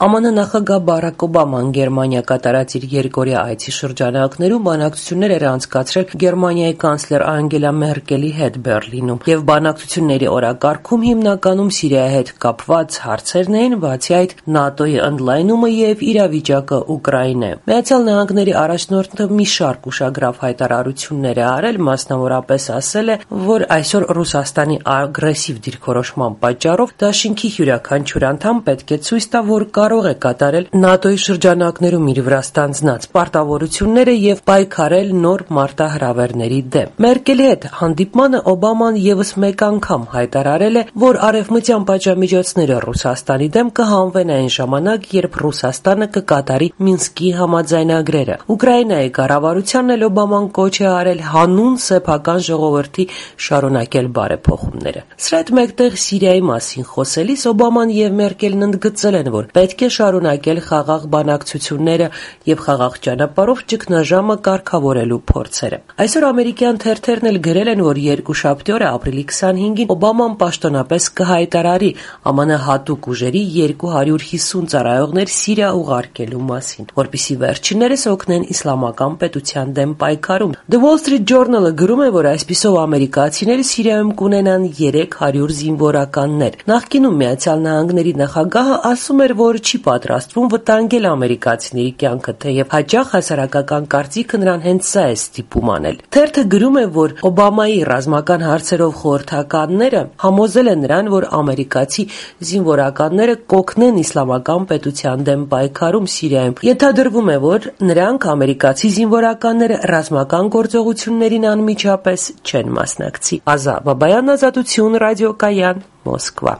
ԱՄՆ նախագահ Բարաք Օբաման Գերմանիա կատարած իր երկօրյա այցի շրջանակներում բանակցություններ էր անցկացրել Գերմանիայի կանցլեր Անգելա Մերկելի հետ Բեռլինում, եւ բանակցությունների օրակարգում հիմնականում Սիրիայի հետ կապված հարցերն էին, բացի այդ ՆԱՏՕ-ի ընդլայնումը եւ իրավիճակը Ուկրաինայում։ Միացյալ Նահանգների առաջնորդը մի շարք ուշագրավ հայտարարություններ է արել, մասնավորապես ասել է, որ այսօր Ռուսաստանի ագրեսիվ դիրքորոշման պատճառով դաշինքի յուրաքանչյուր անդամ պետք է ցույց տա, որ կարող է կատարել ՆԱՏՕ-ի շրջանակներում իր վրա ստանձնած պարտավորությունները եւ պայքարել նոր մարտահրավերների դեմ։ Մերկելի հետ հանդիպմանը Օբաման եւս մեկ անգամ հայտարարել է, որ արևմտյան պատժամիջոցները Ռուսաստանի դեմ կհանվեն այն ժամանակ, երբ Ռուսաստանը կկատարի Մինսկի համաձայնագրերը։ Ուկրաինայի կառավարությանն էլ Օբաման կոչ է արել հանուն սեփական ժողովրդի շարունակել բարեփոխումները։ Սրա հետ մեկտեղ Սիրիայի մասին խոսելիս Օբաման եւ Մերկելն ընդգծել են, որ պետք է շարունակել խաղաղ բանակցությունները եւ խաղաղ ճանապարհով ճգնաժամը կարգավորելու փորձերը։ Այսօր ամերիկյան թերթերն էլ գրել են, որ երկուշաբթի օրը ապրիլի 25-ին Օբաման պաշտոնապես կհայտարարի ԱՄՆ հատուկ ուժերի 250 ծառայողներ Սիրիա ուղարկելու մասին, որպեսզի վերջիններս օգնեն իսլամական պետության դեմ պայքարում։ The Wall Street Journal-ը գրում է, որ այսպիսով ամերիկացիները Սիրիայում կունենան 300 զինվորականներ։ Նախկինում Միացյալ Նահանգների նախագահը ասում էր, որ չի պատրաստվում վտանգել ամերիկացիների կյանքը, թեև հաճախ հասարակական կարծիքը նրան հենց սա է ստիպում անել։ Թերթը գրում է, որ Օբամայի ռազմական հարցերով խորհրդականները համոզել են նրան, որ ամերիկացի զինվորականները կօգնեն իսլամական պետության դեմ պայքարում Սիրիայում։ Ենթադրվում է, որ նրանք ամերիկացի զինվորականները ռազմական գործողություններին անմիջապես չեն մասնակցի։ Ազա Բաբայան, Ազատություն, Ռադիոկայան, Մոսկվա։